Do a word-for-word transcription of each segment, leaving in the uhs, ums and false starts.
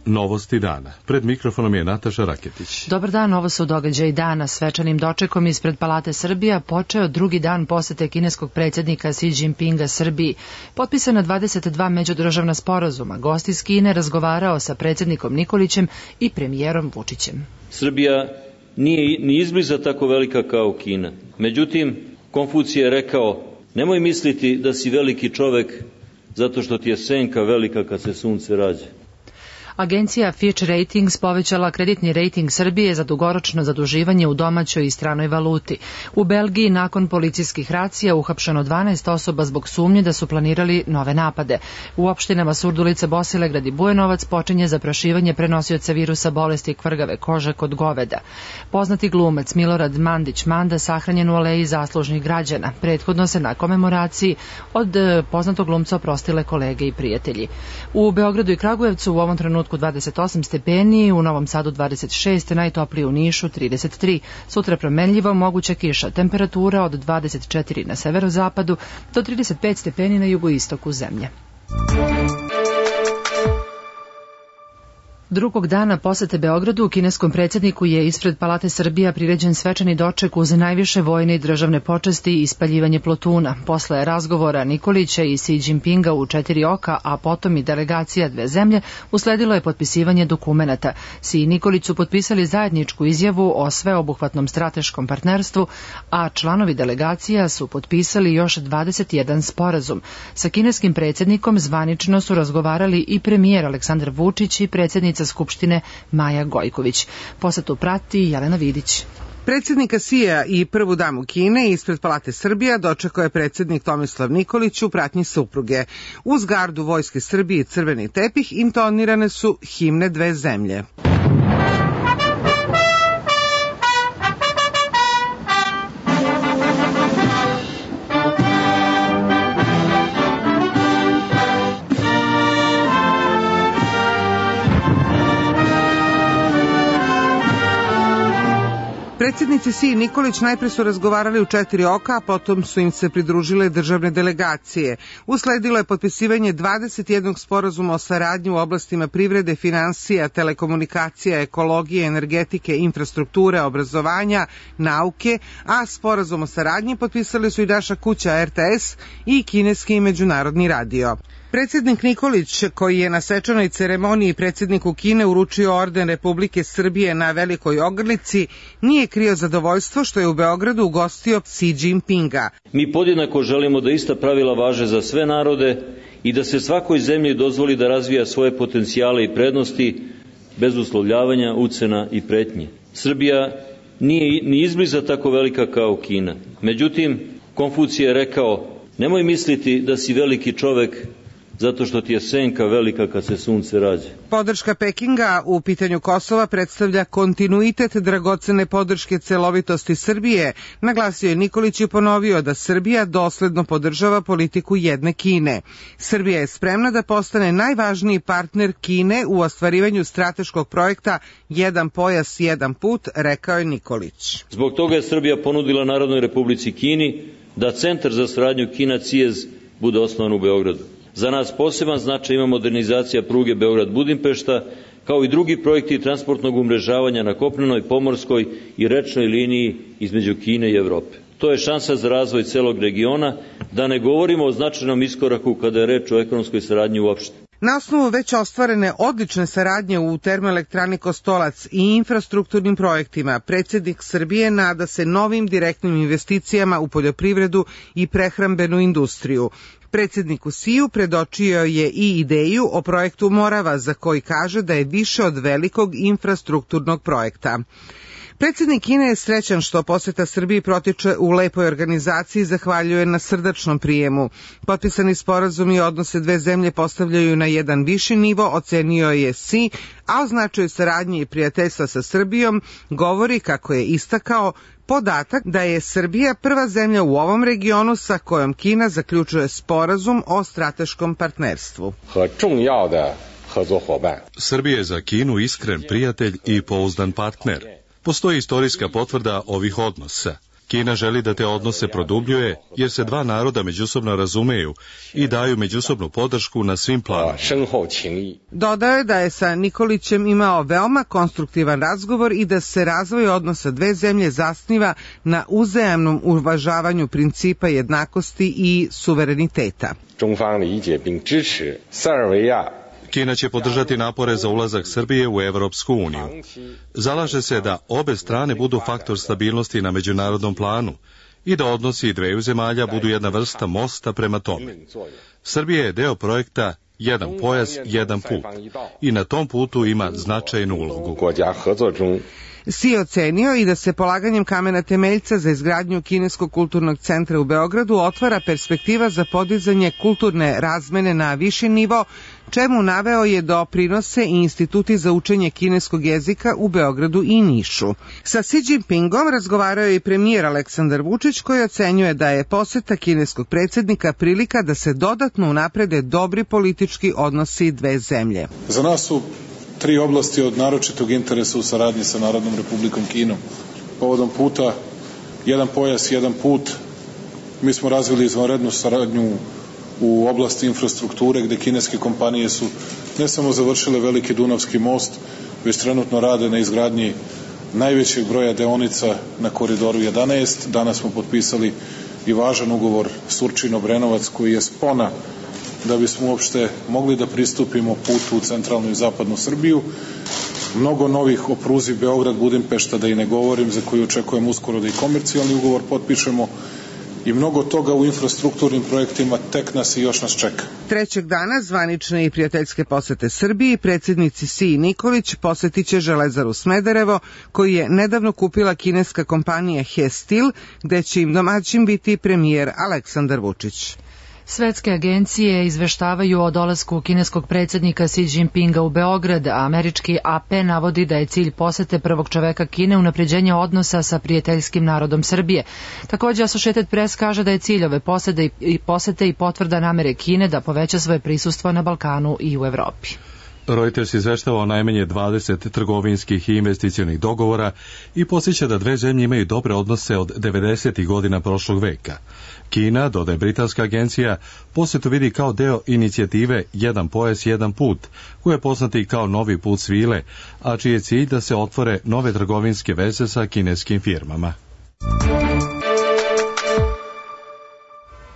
Novosti dana. Pred mikrofonom je Nataša Raketić. Dobar dan, ovo su događaji dana. Svečanim dočekom ispred Palate Srbija počeo drugi dan posete kineskog predsjednika Xi Jinpinga Srbiji. Potpisana dvadeset dva međudržavna sporazuma. Gost iz Kine razgovarao sa predsjednikom Nikolićem i premijerom Vučićem. Srbija nije ni izbliza tako velika kao Kina. Međutim, Konfucije je rekao, nemoj misliti da si veliki čovek zato što ti je senka velika kad se sunce rađa. Agencija Fitch Ratings povećala kreditni rating Srbije za dugoročno zaduživanje u domaćoj i stranoj valuti. U Belgiji nakon policijskih racija uhapšeno dvanaest osoba zbog sumnje da su planirali nove napade. U opštinama Surdulica, Bosilegrad i Bujanovac počinje zaprašivanje prenosioca virusa bolesti kvrgave kože kod goveda. Poznati glumac Milorad Mandić Manda sahranjen u aleji zaslužnih građana. Prethodno se na komemoraciji od poznatog glumca oprostile kolege i prijatelji. U Beogradu i Kragujevcu u ovom trenutku dvadeset osam stepeni, u Novom Sadu dvadeset šest, najtoplije u Nišu trideset tri. Sutra promenljivo, moguća kiša. Temperatura od dvadeset četiri na severozapadu do trideset pet stepeni na jugoistoku zemlje. Drugog dana posete Beogradu kineskom predsjedniku je ispred Palate Srbija priređen svečani doček uz najviše vojne i državne počasti i ispaljivanje plotuna. Posle razgovora Nikolića i Xi Jinpinga u četiri oka, a potom i delegacija dve zemlje, usledilo je potpisivanje dokumenata. Xi i Nikolić su potpisali zajedničku izjavu o sveobuhvatnom strateškom partnerstvu, a članovi delegacija su potpisali još dvadeset jedan sporazum. Sa kineskim predsjednikom zvanično su razgovarali i premijer Aleksandar Vučić i predsjednica Skupštine Maja Gojković. Posetu prati Jelena Vidić. Predsjednika Xija i prvu damu Kine ispred Palate Srbija dočekao je predsjednik Tomislav Nikolić u pratnji supruge. Uz gardu Vojske Srbije i crveni tepih intonirane su himne dve zemlje. Predsjednici Xi i Nikolić najpre su razgovarali u četiri oka, a potom su im se pridružile državne delegacije. Usledilo je potpisivanje dvadeset jednog sporazuma o saradnji u oblastima privrede, finansija, telekomunikacija, ekologije, energetike, infrastrukture, obrazovanja, nauke, a sporazum o saradnji potpisali su i naša kuća R T S i kineski i međunarodni radio. Predsjednik Nikolić, koji je na svečanoj ceremoniji predsjedniku Kine uručio orden Republike Srbije na Velikoj Ogrlici, nije krio zadovoljstvo što je u Beogradu ugostio Xi Jinpinga. Mi podjednako želimo da ista pravila važe za sve narode i da se svakoj zemlji dozvoli da razvija svoje potencijale i prednosti bez uslovljavanja, ucena i pretnje. Srbija nije ni izbliza tako velika kao Kina. Međutim, Konfucije je rekao, nemoj misliti da si veliki čovek zato što ti je senka velika kad se sunce rađa. Podrška Pekinga u pitanju Kosova predstavlja kontinuitet dragocene podrške celovitosti Srbije, naglasio je Nikolić i ponovio da Srbija dosledno podržava politiku jedne Kine. Srbija je spremna da postane najvažniji partner Kine u ostvarivanju strateškog projekta Jedan pojas, jedan put, rekao je Nikolić. Zbog toga je Srbija ponudila Narodnoj Republici Kini da Centar za saradnju Kina C I E Z bude osnovan u Beogradu. Za nas poseban značaj ima modernizacija pruge Beograd-Budimpešta, kao i drugi projekti transportnog umrežavanja na kopnenoj, pomorskoj i rečnoj liniji između Kine i Evrope. To je šansa za razvoj celog regiona, da ne govorimo o značajnom iskoraku kada je reč o ekonomskoj saradnji uopšte. Na osnovu već ostvarene odlične saradnje u termoelektrani Kostolac i infrastrukturnim projektima, predsjednik Srbije nada se novim direktnim investicijama u poljoprivredu i prehrambenu industriju. Predsjedniku Xiju predočio je i ideju o projektu Morava, za koji kaže da je više od velikog infrastrukturnog projekta. Predsjednik Kine je srećan što poseta Srbiji protiče u lepoj organizaciji i zahvaljuje na srdačnom prijemu. Potpisani sporazumi i odnose dve zemlje postavljaju na jedan viši nivo, ocenio je Xi, a o značaju saradnje i prijateljstva sa Srbijom govori, kako je istakao, podatak da je Srbija prva zemlja u ovom regionu sa kojom Kina zaključuje sporazum o strateškom partnerstvu. Srbija je za Kinu iskren prijatelj i pouzdan partner. Postoji istorijska potvrda ovih odnosa. Kina želi da te odnose produbljuje, jer se dva naroda međusobno razumeju i daju međusobnu podršku na svim planovima. Dodao je da je sa Nikolićem imao veoma konstruktivan razgovor i da se razvoj odnosa dve zemlje zasniva na uzajamnom uvažavanju principa jednakosti i suvereniteta. Kina će podržati napore za ulazak Srbije u Evropsku uniju. Zalaže se da obe strane budu faktor stabilnosti na međunarodnom planu i da odnosi dveju zemalja budu jedna vrsta mosta prema tome. Srbija je deo projekta Jedan pojas, jedan put i na tom putu ima značajnu ulogu. Si je ocenio i da se polaganjem kamena temeljca za izgradnju Kineskog kulturnog centra u Beogradu otvara perspektiva za podizanje kulturne razmene na viši nivo, čemu naveo je doprinose i instituti za učenje kineskog jezika u Beogradu i Nišu. Sa Xi Jinpingom razgovarao je i premijer Aleksandar Vučić, koji ocenjuje da je poseta kineskog predsjednika prilika da se dodatno unaprede dobri politički odnosi dve zemlje. Za nas su tri oblasti od naročitog interesa u saradnji sa Narodnom Republikom Kinom. Povodom puta Jedan pojas, jedan put, mi smo razvili izvanrednu saradnju u oblasti infrastrukture, gde kineske kompanije su ne samo završile veliki Dunavski most, već trenutno rade na izgradnji najvećeg broja deonica na koridoru jedanaest. Danas smo potpisali i važan ugovor Surčin-Obrenovac, koji je spona da bismo uopšte mogli da pristupimo putu u centralnu i zapadnu Srbiju. Mnogo novih o pruzi Beograd-Budimpešta, da i ne govorim, za koju očekujem uskoro da i komercijalni ugovor potpišemo, i mnogo toga u infrastrukturnim projektima tek nas i još nas čeka. Trećeg dana zvanične i prijateljske posete Srbiji predsjednici Si i Nikolić posetiće Železaru Smederevo, koju je nedavno kupila kineska kompanija He Steel, gde će im domaćin biti premijer Aleksandar Vučić. Svetske agencije izveštavaju o dolasku kineskog predsjednika Xi Jinpinga u Beograd, a američki A P navodi da je cilj posete prvog čoveka Kine unapređenje odnosa sa prijateljskim narodom Srbije. Također Associated Press kaže da je cilj ove posete i posete i potvrda namere Kine da poveća svoje prisustvo na Balkanu i u Evropi. Reuters izveštava o najmanje dvadeset trgovinskih i investicionih dogovora i podsjeća da dve zemlje imaju dobre odnose od devedesetih godina prošlog veka. Kina, dodaje britanska agencija, posetu vidi kao deo inicijative Jedan pojas, jedan put, koja je poznata i kao novi put svile, a čiji je cilj da se otvore nove trgovinske veze sa kineskim firmama.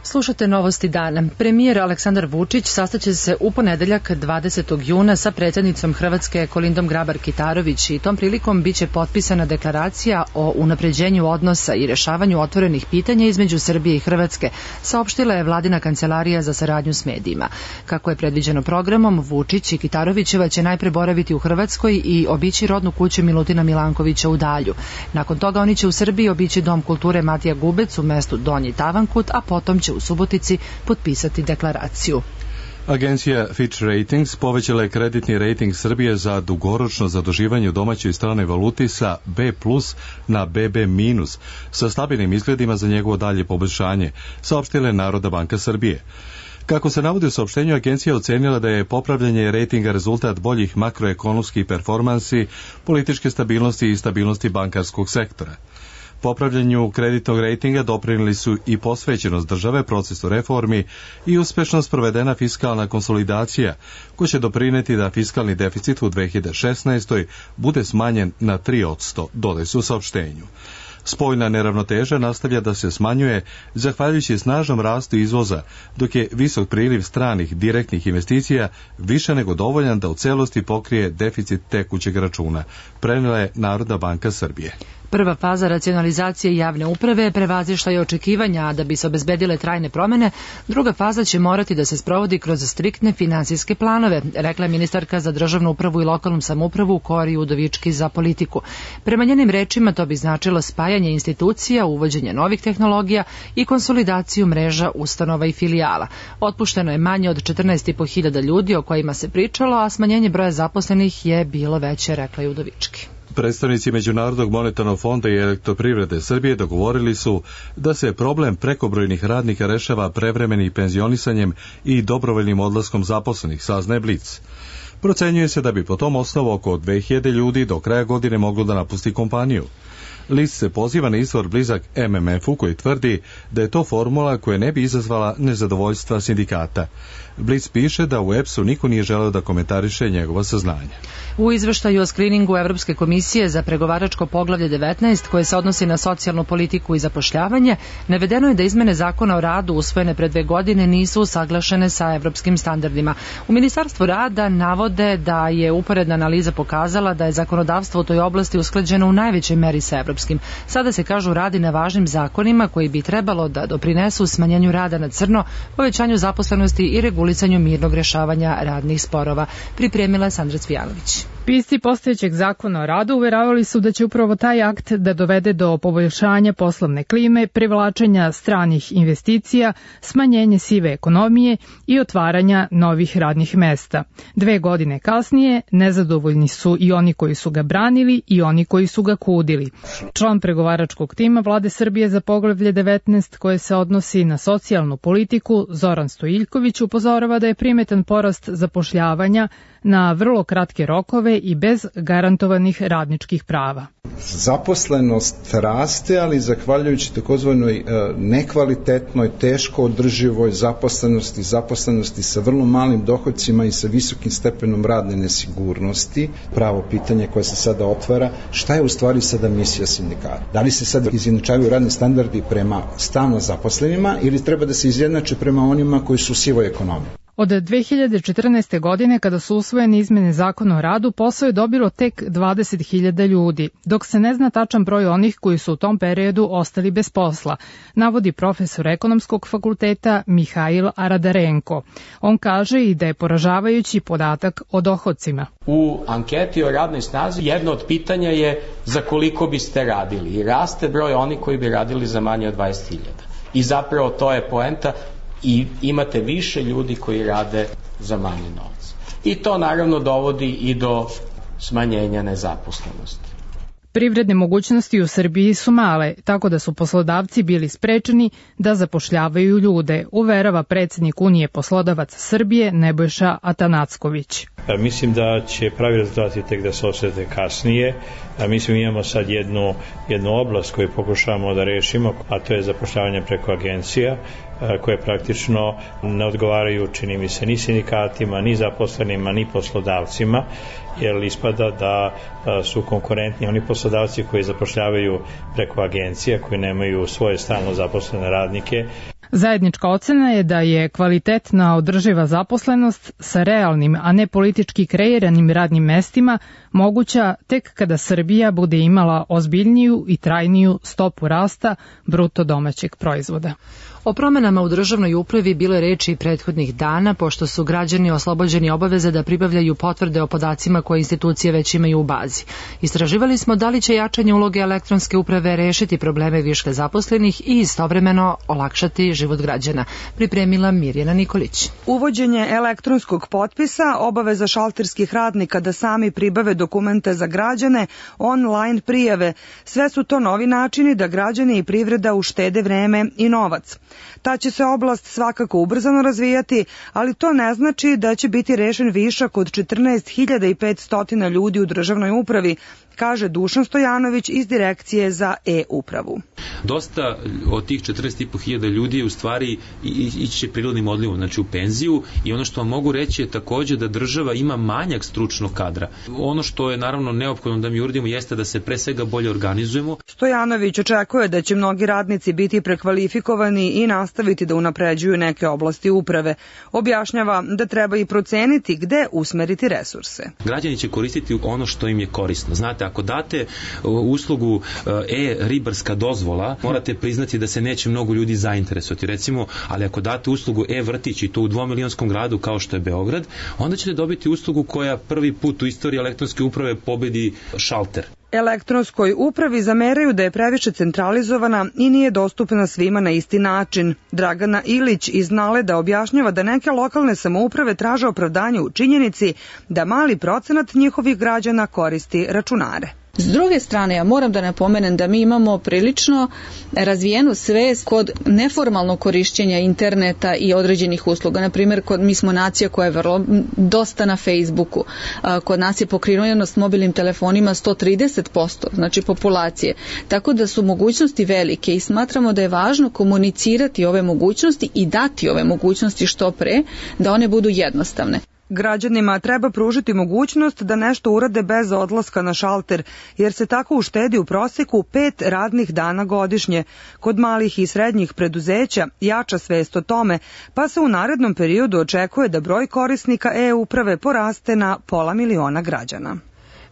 Slušate novosti dana. Premijer Aleksandar Vučić sastaće se u ponedeljak dvadesetog juna sa predsjednicom Hrvatske Kolindom Grabar-Kitarović i tom prilikom biće potpisana deklaracija o unapređenju odnosa i rešavanju otvorenih pitanja između Srbije i Hrvatske, saopštila je vladina kancelarija za saradnju s medijima. Kako je predviđeno programom, Vučić i Kitarovićeva će najpre boraviti u Hrvatskoj i obići rodnu kuću Milutina Milankovića u Dalju. Nakon toga oni će u Srbiji obići Dom kulture Matija Gubec u mestu Donji Tavankut, a potom će u Subotici potpisati deklaraciju. Agencija Fitch Ratings povećala je kreditni rating Srbije za dugoročno zaduživanje u domaćoj i stranoj valuti sa B plus na B B minus, sa stabilnim izgledima za njegovo dalje poboljšanje, saopštila je Narodna banka Srbije. Kako se navodi u saopštenju, agencija ocenila da je popravljanje rejtinga rezultat boljih makroekonomskih performansi, političke stabilnosti i stabilnosti bankarskog sektora. Popravljanju kreditnog rejtinga doprinijeli su i posvećenost države procesu reformi i uspešno sprovedena fiskalna konsolidacija, koja će doprineti da fiskalni deficit u dve hiljade šesnaestoj. bude smanjen na tri posto, dodaje se u saopštenju. Spoljna neravnoteža nastavlja da se smanjuje zahvaljujući snažnom rastu izvoza, dok je visok priliv stranih direktnih investicija više nego dovoljan da u celosti pokrije deficit tekućeg računa, prenijela je Narodna banka Srbije. Prva faza racionalizacije javne uprave prevazišla je očekivanja, a da bi se obezbedile trajne promene, druga faza će morati da se sprovodi kroz striktne finansijske planove, rekla je ministarka za državnu upravu i lokalnu samoupravu Kori Udovički za politiku. Prema njenim rečima to bi značilo spajanje institucija, uvođenje novih tehnologija i konsolidaciju mreža ustanova i filijala. Otpušteno je manje od četrnaest i po hiljada ljudi o kojima se pričalo, a smanjenje broja zaposlenih je bilo veće, rekla je Udovički. Predstavnici Međunarodnog monetarnog fonda i Elektroprivrede Srbije dogovorili su da se problem prekobrojnih radnika rešava prevremenim penzionisanjem i dobrovoljnim odlaskom zaposlenih, saznaje Blic. Procenjuje se da bi po tom osnovu oko dve hiljade ljudi do kraja godine moglo da napusti kompaniju. List se poziva na izvor blizak M M F-u koji tvrdi da je to formula koja ne bi izazvala nezadovoljstva sindikata. Blic piše da u E P S-u niko nije želeo da komentariše njegova saznanja. U izveštaju o skriningu Evropske komisije za pregovaračko poglavlje devetnaest koje se odnosi na socijalnu politiku i zapošljavanje, navedeno je da izmene zakona o radu usvojene pre dve godine nisu usaglašene sa evropskim standardima. U Ministarstvu rada navode da je uporedna analiza pokazala da je zakonodavstvo u toj oblasti usklađeno u najvećoj meri sa evropskim. Sada se, kažu, radi na važnim zakonima koji bi trebalo da doprinesu smanjenju rada na crno, povećanju zaposlenosti i regulisanju mirnog rešavanja radnih sporova. Pripremila je Sandra Cvijanović. Pisci postojećeg zakona o radu uveravali su da će upravo taj akt da dovede do poboljšanja poslovne klime, privlačenja stranih investicija, smanjenje sive ekonomije i otvaranja novih radnih mesta. Dve godine kasnije nezadovoljni su i oni koji su ga branili i oni koji su ga kudili. Član pregovaračkog tima Vlade Srbije za poglavlje devetnaest koje se odnosi na socijalnu politiku, Zoran Stojiljković, upozorava da je primetan porast zapošljavanja na vrlo kratke rokove i bez garantovanih radničkih prava. Zaposlenost raste, ali zahvaljujući takozvanoj nekvalitetnoj, teško održivoj zaposlenosti, zaposlenosti sa vrlo malim dohodcima i sa visokim stepenom radne nesigurnosti. Pravo pitanje koje se sada otvara, šta je u stvari sada misija sindikata? Da li se sada izjednačavaju radni standardi prema stalno zaposlenima ili treba da se izjednače prema onima koji su u sivoj ekonomiji? Od dve hiljade četrnaeste. godine, kada su usvojene izmene zakona o radu, posao je dobilo tek dvadeset hiljada ljudi, dok se ne zna tačan broj onih koji su u tom periodu ostali bez posla, navodi profesor ekonomskog fakulteta Mihail Aradarenko. On kaže i da je poražavajući podatak o dohodcima. U anketi o radnoj snazi jedno od pitanja je za koliko biste radili i raste broj onih koji bi radili za manje od dvadeset hiljada. I zapravo to je poenta. I imate više ljudi koji rade za manje novca. I to naravno dovodi i do smanjenja nezaposlenosti. Privredne mogućnosti u Srbiji su male, tako da su poslodavci bili sprečeni da zapošljavaju ljude, uverava predsednik Unije poslodavaca Srbije Nebojša Atanacković. Mislim da će pravi rezultati tek da se osete kasnije. Mislim imamo sad jednu, jednu oblast koju pokušavamo da rešimo, a to je zapošljavanje preko agencija koje praktično ne odgovaraju, čini mi se, ni sindikatima, ni zaposlenima, ni poslodavcima, jer ispada da su konkurentni oni poslodavci koji zapošljavaju preko agencija, koji nemaju svoje stalno zaposlene radnike. Zajednička ocena je da je kvalitetna održiva zaposlenost sa realnim, a ne politički kreiranim radnim mestima moguća tek kada Srbija bude imala ozbiljniju i trajniju stopu rasta bruto domaćeg proizvoda. O promenama u državnoj upravi bilo je reči prethodnih dana, pošto su građani oslobođeni obaveze da pribavljaju potvrde o podacima koje institucije već imaju u bazi. Istraživali smo da li će jačanje uloge elektronske uprave rešiti probleme viška zaposlenih i istovremeno olakšati život građana. Pripremila Mirjana Nikolić. Uvođenje elektronskog potpisa, obaveza šalterskih radnika da sami pribave dokumente za građane, online prijave, sve su to novi načini da građani i privreda uštede vreme i novac. Ta će se oblast svakako ubrzano razvijati, ali to ne znači da će biti rešen višak od četrnaest hiljada petsto ljudi u državnoj upravi, kaže Dušan Stojanović iz Direkcije za e-upravu. Dosta od tih četrnaest hiljada ljudi je u stvari ići će prirodnim odlivom, znači u penziju, i ono što vam mogu reći je takođe da država ima manjak stručnog kadra. Ono što je naravno neophodno da mi uradimo jeste da se pre svega bolje organizujemo. Stojanović očekuje da će mnogi radnici biti prekvalifikovani i nastaviti da unapređuju neke oblasti uprave. Objašnjava da treba i proceniti gde usmeriti resurse. Građani će koristiti ono što im je korisno. Znate, ako date uslugu e-ribarska dozvola, morate priznati da se neće mnogo ljudi zainteresovati, recimo, ali ako date uslugu e-vrtić i to u dvomilionskom gradu kao što je Beograd, onda ćete dobiti uslugu koja prvi put u istoriji elektronske uprave pobedi šalter. Elektronskoj upravi zameraju da je previše centralizovana i nije dostupna svima na isti način. Dragana Ilić iz Naleda objašnjava da neke lokalne samouprave traže opravdanje u činjenici da mali procenat njihovih građana koristi računare. S druge strane, ja moram da napomenem da mi imamo prilično razvijenu svest kod neformalnog korišćenja interneta i određenih usluga. Naprimjer, kod, mi smo nacija koja je vrlo dosta na Facebooku. Kod nas je pokrivenost mobilnim telefonima sto trideset posto, znači populacije. Tako da su mogućnosti velike i smatramo da je važno komunicirati ove mogućnosti i dati ove mogućnosti što pre, da one budu jednostavne. Građanima treba pružiti mogućnost da nešto urade bez odlaska na šalter, jer se tako uštedi u proseku pet radnih dana godišnje. Kod malih i srednjih preduzeća jača svest o tome, pa se u narednom periodu očekuje da broj korisnika e-uprave poraste na pola miliona građana.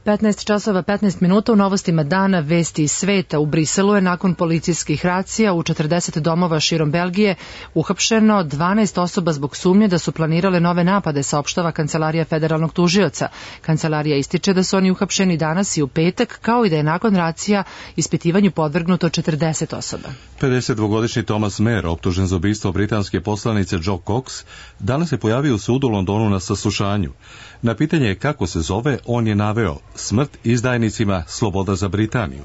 petnaest časova petnaest minuta u novostima dana vesti iz sveta. U Briselu je nakon policijskih racija u četrdeset domova širom Belgije uhapšeno dvanaest osoba zbog sumnje da su planirale nove napade, saopštava Kancelarija federalnog tužioca. Kancelarija ističe da su oni uhapšeni danas i u petak, kao i da je nakon racija ispitivanju podvrgnuto četrdeset osoba. pedesetdvogodišnji Thomas Mayer, optužen za ubistvo britanske poslanice Jo Cox, danas se pojavio u sudu u Londonu na saslušanju. Na pitanje kako se zove, on je naveo: smrt izdajnicima, sloboda za Britaniju.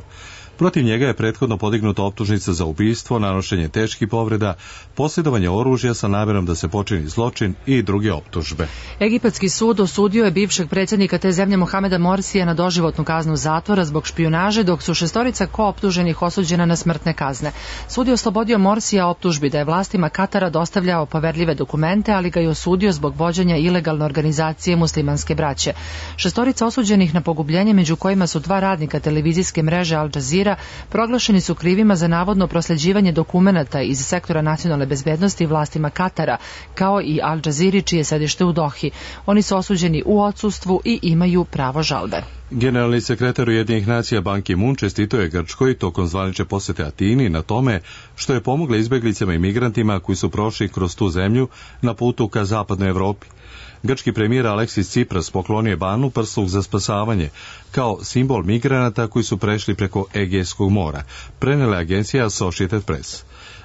Protiv njega je prethodno podignuta optužnica za ubistvo, nanošenje teških povreda, posjedovanje oružja sa namjerom da se počini zločin i druge optužbe. Egipatski sud osudio je bivšeg predsjednika te zemlje Mohameda Morsija na doživotnu kaznu zatvora zbog špijunaže, dok su šestorica kooptuženih osuđena na smrtne kazne. Sud je oslobodio Morsija optužbi da je vlastima Katara dostavljao poverljive dokumente, ali ga je osudio zbog vođenja ilegalne organizacije muslimanske braće. Šestorica osuđenih na pogubljenje, među kojima su dva radnika televizijske mreže Al Jazeera, proglašeni su krivima za navodno prosljeđivanje dokumenata iz sektora nacionalne bezbednosti vlastima Katara, kao i Al Jazeera čije sedište u Dohi. Oni su osuđeni u odsustvu i imaju pravo žalbe. Generalni sekretar Ujedinjenih nacija Ban Ki-moon čestitao je Grčkoj tokom zvanične posete Atini na tome što je pomogla izbeglicama i migrantima koji su prošli kroz tu zemlju na putu ka zapadnoj Evropi. Grčki premijer Aleksis Tsipras poklonio je Banu prsluk za spasavanje kao simbol migranata koji su prešli preko Egejskog mora, prenela agencija Associated Press.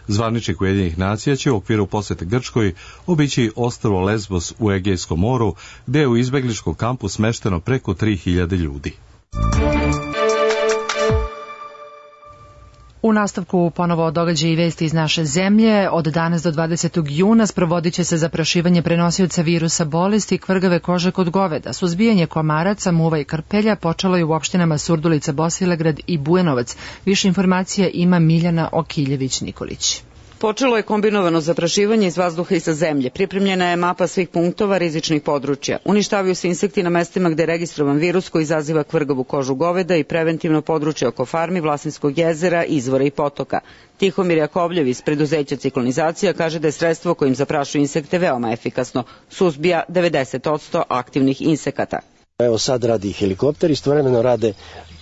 Zvaničnik Ujedinjenih nacija će u okviru posete Grčkoj obići ostrvo Lesbos u Egejskom moru, gde je u izbegličkom kampu smešteno preko tri hiljade ljudi. U nastavku ponovo događaji i vesti iz naše zemlje. Od danas do dvadesetog juna sprovodit će se zaprašivanje prenosioca virusa bolesti kvrgave kože kod goveda. Suzbijanje komaraca, muva i krpelja počelo je u opštinama Surdulica, Bosilegrad i Bujanovac. Više informacija ima Miljana Okiljević-Nikolić. Počelo je kombinovano zaprašivanje iz vazduha i sa zemlje. Pripremljena je mapa svih punktova rizičnih područja. Uništavaju se insekti na mestima gde je registrovan virus koji izaziva kvrgavu kožu goveda i preventivno područje oko farmi, Vlasinskog jezera, izvora i potoka. Tihomir Jakovljev iz preduzeća Ciklonizacija kaže da je sredstvo kojim zaprašuju insekte veoma efikasno. Suzbija devedeset posto aktivnih insekata. Evo sad radi helikopter, istovremeno rade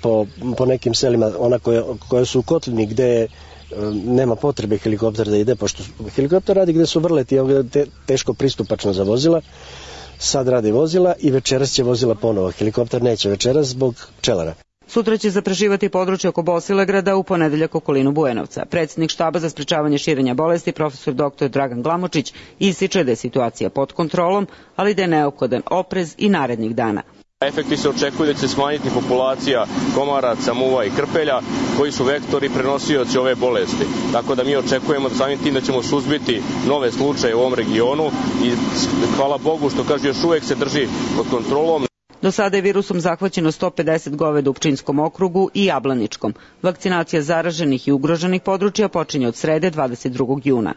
po, po nekim selima, ona koje, koje su u kotlini gde nema potrebe helikopter da ide, pošto helikopter radi gde su vrleti, te, teško pristupačno za vozila. Sad radi vozila i večeras će vozila ponovo. Helikopter neće večeras zbog pčelara. Sutra će zaprašivati područje oko Bosilegrada, u ponedeljak okolinu Bujanovca. Predsjednik štaba za sprečavanje širenja bolesti, profesor doktor Dragan Glamočić, ističe da je situacija pod kontrolom, ali da je neophodan oprez i narednih dana. Efekti se očekuju da će se smanjiti populacija komaraca, muva i krpelja, koji su vektori prenosioci ove bolesti. Tako da mi očekujemo da samim tim da ćemo suzbiti nove slučaje u ovom regionu i hvala Bogu što kaže još uvek se drži pod kontrolom. Do sada je virusom zahvaćeno sto pedeset goveda u Pčinjskom okrugu i Jablaničkom. Vakcinacija zaraženih i ugroženih područja počinje od srede dvadeset drugog juna.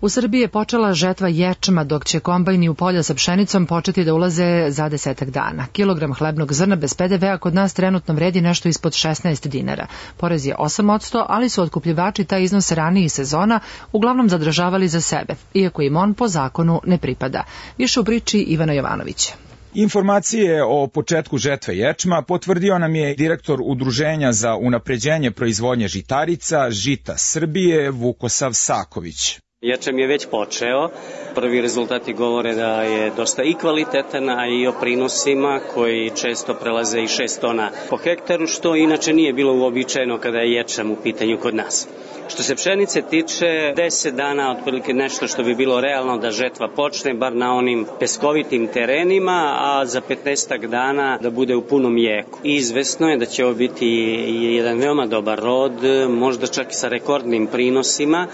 U Srbiji je počela žetva ječma, dok će kombajni u polja sa pšenicom početi da ulaze za desetak dana. Kilogram hlebnog zrna bez pe de vea kod nas trenutno vredi nešto ispod šesnaest dinara. Porez je osam posto, ali su otkupljivači taj iznos ranijih sezona uglavnom zadržavali za sebe, iako im on po zakonu ne pripada. Više u priči Ivana Jovanovića. Informacije o početku žetve ječma potvrdio nam je direktor Udruženja za unapređenje proizvodnje žitarica Žita Srbije Vukosav Saković. Ječam je već počeo. Prvi rezultati govore da je dosta i kvalitetan, a i o prinosima koji često prelaze i šest tona po hektaru, što inače nije bilo uobičajeno kada je ječam u pitanju kod nas. Što se pšenice tiče, deset dana, otprilike nešto što bi bilo realno da žetva počne, bar na onim peskovitim terenima, a za petnaestak dana da bude u punom jeku. Izvesno je da će ovo biti jedan veoma dobar rod, možda čak i sa rekordnim prinosima.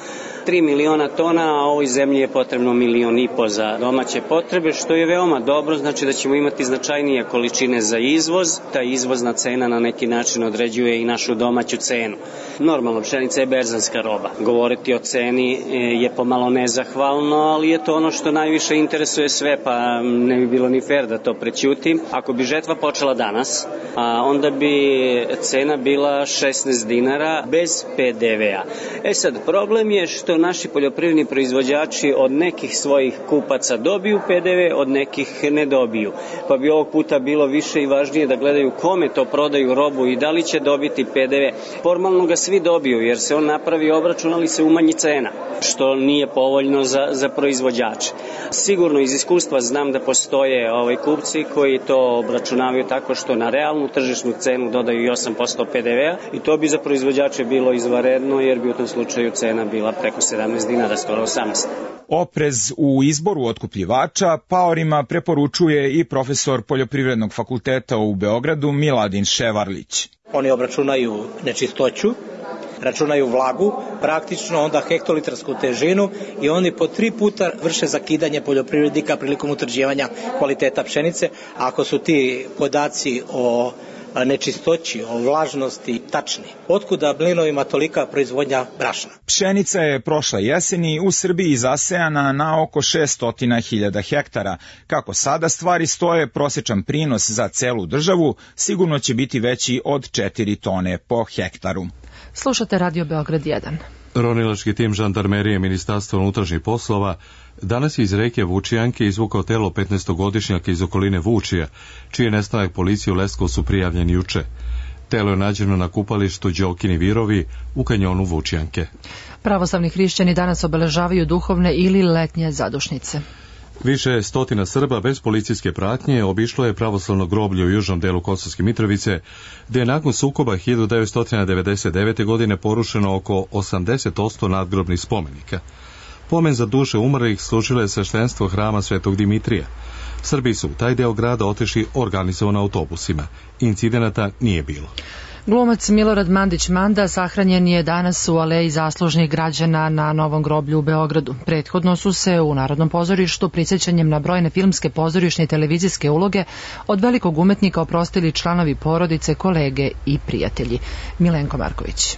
tri miliona tona, a ovoj zemlji je potrebno milion i po za domaće potrebe, što je veoma dobro, znači da ćemo imati značajnije količine za izvoz. Ta izvozna cena na neki način određuje i našu domaću cenu. Normalno, pšenica je berzanska roba. Govoriti o ceni je pomalo nezahvalno, ali je to ono što najviše interesuje sve, pa ne bi bilo ni fair da to prećutim. Ako bi žetva počela danas, a onda bi cena bila šesnaest dinara bez pe de vea. E sad, problem je što naši poljoprivredni proizvođači od nekih svojih kupaca dobiju pe de ve, od nekih ne dobiju. Pa bi ovog puta bilo više i važnije da gledaju kome to prodaju robu i da li će dobiti pe de ve. Formalno ga svi dobiju jer se on napravi obračun, ali se umanji cena, što nije povoljno za, za proizvođače. Sigurno iz iskustva znam da postoje ovaj kupci koji to obračunavaju tako što na realnu tržišnu cenu dodaju i osam posto pe de vea i to bi za proizvođače bilo izvanredno jer bi u tom slučaju cena bila preko sedamnaest dinara, skoro osamnaest. Oprez u izboru otkupljivača paorima preporučuje i profesor Poljoprivrednog fakulteta u Beogradu Miladin Ševarlić. Oni obračunaju nečistoću, računaju vlagu, praktično onda hektolitarsku težinu i oni po tri puta vrše zakidanje poljoprivrednika prilikom utvrđivanja kvaliteta pšenice. Ako su ti podaci o nečistoći, o vlažnosti tačni. Otkuda mlinovima tolika proizvodnja brašna? Pšenica je prošle jeseni u Srbiji zasejana na oko šessto hiljada hektara. Kako sada stvari stoje, prosječan prinos za celu državu sigurno će biti veći od četiri tone po hektaru. Slušate Radio Beograd jedan. Ronilački tim žandarmerije Ministarstva unutrašnjih poslova danas je iz reke Vučijanke izvukao telo petnaestogodišnjaka iz okoline Vučija, čiji je nestanak policiji u Leskovcu prijavljen juče. Telo je nađeno na kupalištu Đokini Virovi u kanjonu Vučijanke. Pravoslavni hrišćani danas obeležavaju duhovne ili letnje zadušnice. Više stotina Srba bez policijske pratnje obišlo je pravoslavno groblje u južnom delu Kosovske Mitrovice, gdje je nakon sukoba hiljadu devetsto devedeset devete. godine porušeno oko osamdeset posto nadgrobnih spomenika. Pomen za duše umrlih služilo je sveštenstvo hrama Svetog Dimitrija. Srbi su u taj deo grada otišli organizovano autobusima. Incidenata nije bilo. Glumac Milorad Mandić Manda sahranjen je danas u aleji zaslužnih građana na Novom groblju u Beogradu. Prethodno su se u Narodnom pozorištu prisjećanjem na brojne filmske, pozorišne i televizijske uloge od velikog umetnika oprostili članovi porodice, kolege i prijatelji. Milenko Marković.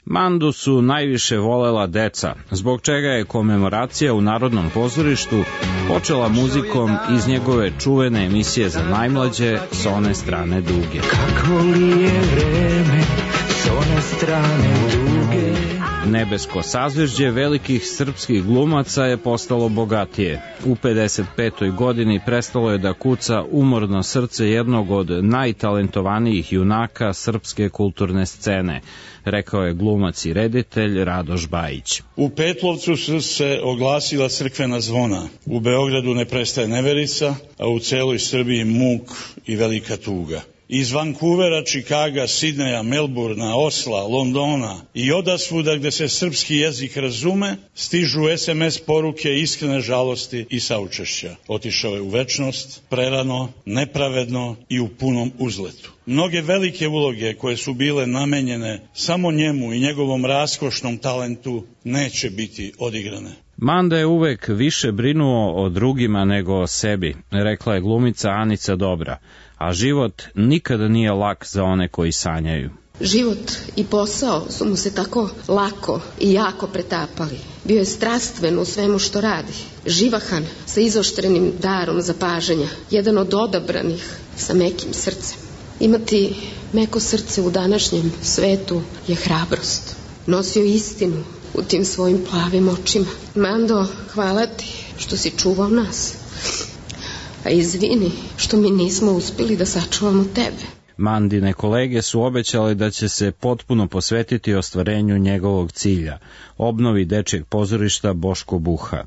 Mandu su najviše volela deca, zbog čega je komemoracija u Narodnom pozorištu počela muzikom iz njegove čuvene emisije za najmlađe S one strane duge. Kako li je vreme s one strane duge? Nebesko sazvežđe velikih srpskih glumaca je postalo bogatije. U pedeset petoj godini prestalo je da kuca umorno srce jednog od najtalentovanijih junaka srpske kulturne scene, rekao je glumac i reditelj Radoš Bajić. U Petlovcu su se oglasila crkvena zvona. U Beogradu ne prestaje neverica, a u celoj Srbiji muk i velika tuga. Iz Vancouvera, Čikaga, Sidneja, Melburna, Osla, Londona i odasvuda gde se srpski jezik razume, stižu es em es poruke iskrene žalosti i saučešća. Otišao je u večnost, prerano, nepravedno i u punom uzletu. Mnoge velike uloge koje su bile namenjene samo njemu i njegovom raskošnom talentu neće biti odigrane. Manda je uvek više brinuo o drugima nego o sebi, rekla je glumica Anica Dobra, a život nikada nije lak za one koji sanjaju. Život i posao su mu se tako lako i jako pretapali. Bio je strastven u svemu što radi, živahan sa izoštrenim darom zapažanja, jedan od odabranih sa mekim srcem. Imati meko srce u današnjem svetu je hrabrost. Nosio istinu u tim svojim plavim očima. Mando, hvala ti što si čuvao nas. A izvini što mi nismo uspjeli da sačuvamo tebe. Mandine kolege su obećali da će se potpuno posvetiti ostvarenju njegovog cilja, obnovi dečijeg pozorišta Boško Buha.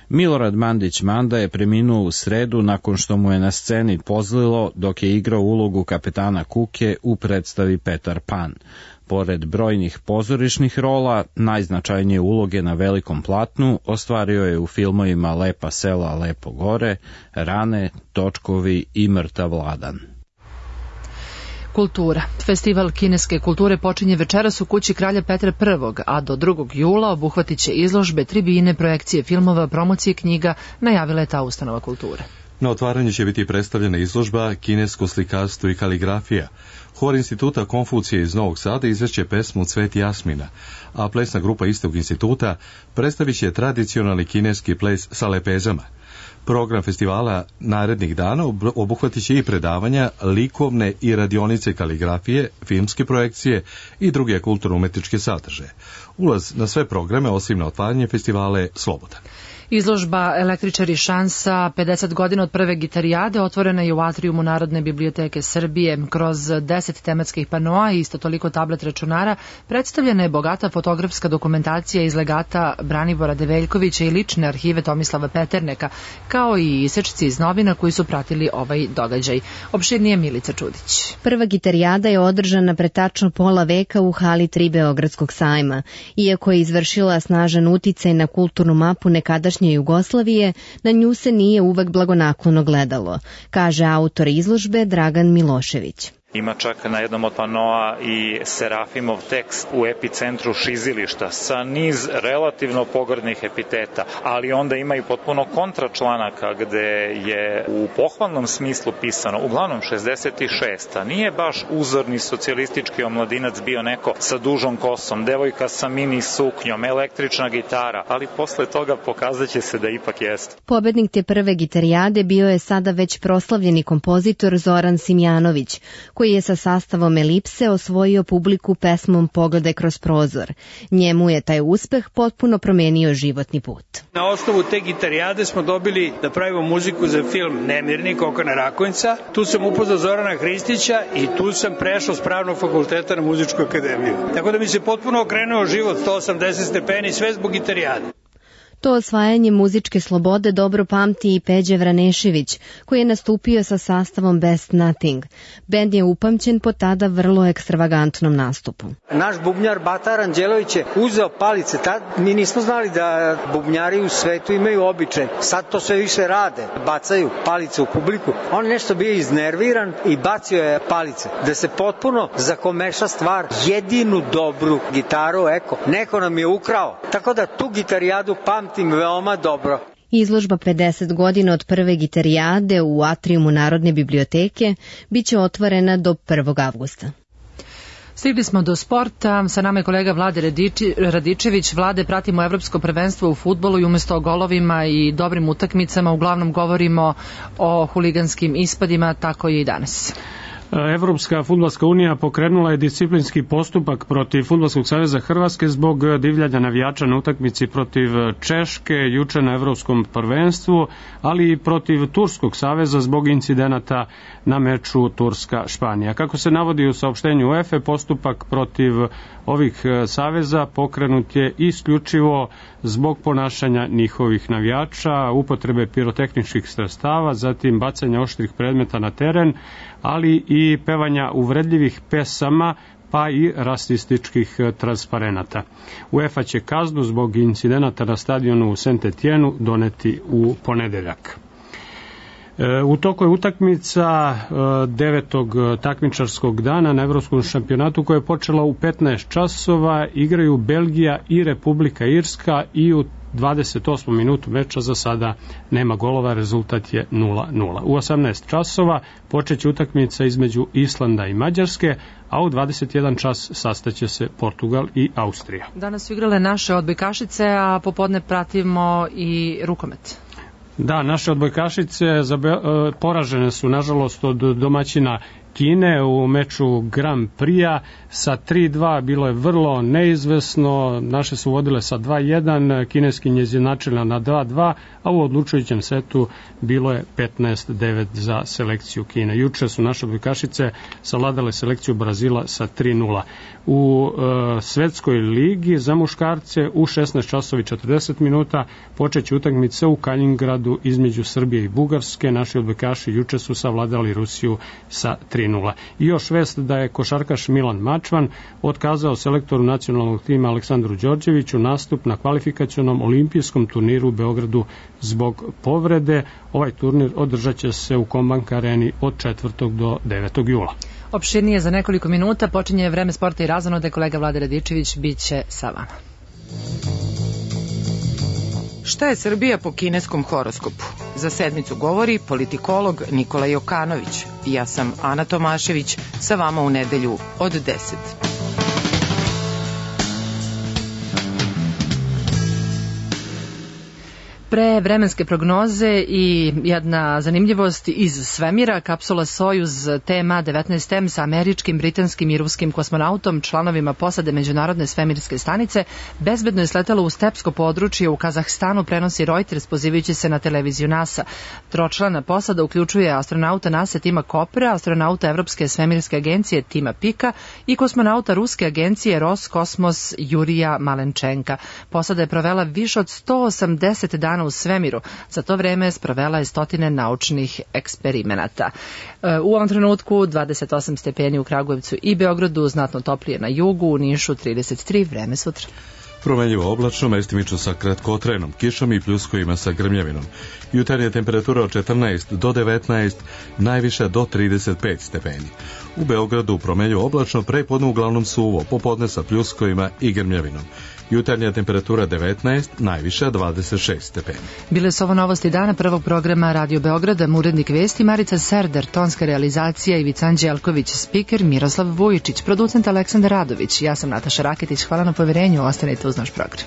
Milorad Mandić Manda je preminuo u sredu nakon što mu je na sceni pozlilo dok je igrao ulogu kapetana Kuke u predstavi Petar Pan. Pored brojnih pozorišnih rola, najznačajnije uloge na velikom platnu ostvario je u filmovima Lepa sela, Lepo gore, Rane, Točkovi i Mrtav Vladan. Kultura. Festival kineske kulture počinje večeras u kući Kralja Petra Prvog, a do drugog jula obuhvatit će izložbe, tribine, projekcije filmova, promocije knjiga, najavila je ta ustanova kulture. Na otvaranju će biti predstavljena izložba Kinesko slikarstvo i kaligrafija. Hor instituta Konfucije iz Novog Sada izvešće pesmu Cvet jasmina, a plesna grupa istog instituta predstavit će tradicionalni kineski ples sa lepezama. Program festivala narednih dana obuhvatit će i predavanja, likovne i radionice kaligrafije, filmske projekcije i druge kulturno-umetničke sadržaje. Ulaz na sve programe, osim na otvaranje festivala, je slobodan. Izložba Električari šansa, pedeset godina od prve gitarijade, otvorena je u atrijumu Narodne biblioteke Srbije. Kroz deset tematskih panoa i isto toliko tablet računara predstavljena je bogata fotografska dokumentacija iz legata Branibora Develjkovića i lične arhive Tomislava Peterneka, kao i isečci iz novina koji su pratili ovaj događaj. Opširnije Milica Čudić. Prva gitarijada je održana pre tačno pola veka u hali tri Beogradskog sajma. Iako je izvršila snažan uticaj na kulturnu mapu nekadašnje Jugoslavije, na nju se nije uvek blagonaklono gledalo, kaže autor izložbe Dragan Milošević. Ima čak na jednom od panoa i Serafimov tekst u epicentru šizilišta sa niz relativno pogrdnih epiteta, ali onda ima i potpuno kontračlanaka gde je u pohvalnom smislu pisano, uglavnom šezdeset šest. Nije baš uzorni socijalistički omladinac bio neko sa dužom kosom, devojka sa mini suknjom, električna gitara, ali posle toga pokazat će se da ipak jeste. Pobednik te prve gitarijade bio je sada već proslavljeni kompozitor Zoran Simjanović, koji je sa sastavom Elipse osvojio publiku pesmom Pogledaj kroz prozor. Njemu je taj uspeh potpuno promenio životni put. Na osnovu te gitarijade smo dobili da pravimo muziku za film Nemirnik Okana Rakonjca. Tu sam upoznao Zorana Hristića i tu sam prešao s Pravnog fakulteta na muzičku akademiju. Tako da mi se potpuno okrenuo život sto osamdeset stepeni, sve zbog gitarijade. To osvajanje muzičke slobode dobro pamti i Peđe Vranešević, koji je nastupio sa sastavom Best Nothing. Bend je upamćen po tada vrlo ekstravagantnom nastupu. Naš bubnjar Batar Anđelović je uzeo palice. Tad mi nismo znali da bubnjari u svetu imaju običaj. Sad to sve više rade. Bacaju palice u publiku. On nešto bio iznerviran i bacio je palice. Da se potpuno zakomeša stvar. Jedinu dobru gitaru, eko, neko nam je ukrao. Tako da tu gitarijadu pamti veoma dobro. Izložba pedeset godina od prve gitarijade u atrijumu Narodne biblioteke biće otvorena do prvog avgusta. Stigli smo do sporta, sa nama je kolega Vlade Radiči, Radičević. Vlade, pratimo evropsko prvenstvo u fudbalu i umesto o golovima i dobrim utakmicama uglavnom govorimo o huliganskim ispadima, tako i danas. Evropska fudbalska unija pokrenula je disciplinski postupak protiv Fudbalskog saveza Hrvatske zbog divljanja navijača na utakmici protiv Češke juče na Evropskom prvenstvu, ali i protiv Turskog saveza zbog incidenata na meču Turska-Španija. Kako se navodi u saopštenju UEFA, postupak protiv ovih saveza pokrenut je isključivo zbog ponašanja njihovih navijača, upotrebe pirotehničkih sredstava, zatim bacanja oštrih predmeta na teren, ali i pevanja uvredljivih pesama, pa i rasističkih transparenata. UEFA će kaznu zbog incidenata na stadionu u Saint-Etienne doneti u ponedeljak. U toku je utakmica devetog takmičarskog dana na Evropskom šampionatu koja je počela u petnaest časova. Igraju Belgija i Republika Irska i u dvadeset osmom minutu meča za sada nema golova, rezultat je nula nula. U osamnaest časova počeće utakmica između Islanda i Mađarske, a u dvadeset jedan čas sastaće se Portugal i Austrija. Danas su igrale naše odbojkašice, a popodne pratimo i rukomet. Da, naše odbojkašice poražene su nažalost od domaćina Kine u meču Grand Prix-a sa tri dva bilo je vrlo neizvesno, naše su vodile sa dva jedan, kineski njezinačila na dva dva, a u odlučujućem setu bilo je petnaest devet za selekciju Kine. Juče su naše odbojkašice savladale selekciju Brazila sa tri nula. U e, svetskoj ligi za muškarce u šesnaest časova i četrdeset minuta počeće utakmica u Kalingradu između Srbije i Bugarske. Naši odbojkaši juče su savladali Rusiju sa tri nula. I još vest da je košarkaš Milan Mačvan otkazao selektoru nacionalnog tima Aleksandru Đorđeviću nastup na kvalifikacionom olimpijskom turniru u Beogradu zbog povrede. Ovaj turnir održat će se u Kombank areni od četvrtog do devetog jula. Opširnije za nekoliko minuta počinje vreme sporta i razonode. Kolega Vlada Radičević bit će sa vama. Šta je Srbija po kineskom horoskopu? Za sedmicu govori politikolog Nikola Jokanović. Ja sam Ana Tomašević, sa vama u nedelju od deset. Pre vremenske prognoze i jedna zanimljivost iz svemira, kapsula Sojuz T M A devetnaest M sa američkim, britanskim i ruskim kosmonautom, članovima posade Međunarodne svemirske stanice, bezbedno je sletala u stepsko područje u Kazahstanu, prenosi Reuters pozivajući se na televiziju NASA. Tročlana posada uključuje astronauta NASA Tima Kopera, astronauta Evropske svemirske agencije Tima Pika i kosmonauta Ruske agencije Roskosmos Jurija Malenčenka. Posada je provela više od sto osamdeset dana u svemiru. Za to vreme sprovela je stotine naučnih eksperimenata. U ovom trenutku dvadeset osam stepeni u Kragujevcu i Beogradu, znatno toplije na jugu, u Nišu trideset tri, vreme sutra. Promenljivo oblačno, mestimično sa kratkotrenom kišom i pljuskovima sa grmljavinom. Jutarnja temperatura od četrnaest do devetnaest, najviša do trideset pet stepeni. U Beogradu promenljivo oblačno, prepodne uglavnom suvo, popodne sa pljuskovima i grmljavinom. Jutarnja temperatura devetnaest, najviša dvadeset šest stepeni. Bile su ovo novosti dana prvog programa Radio Beograda, urednik vesti Marica Serder, tonska realizacija Ivica Anđelković, spiker Miroslav Vujičić, producent Aleksandar Radović. Ja sam Nataša Raketić, hvala na poverenju, ostanite uz naš program.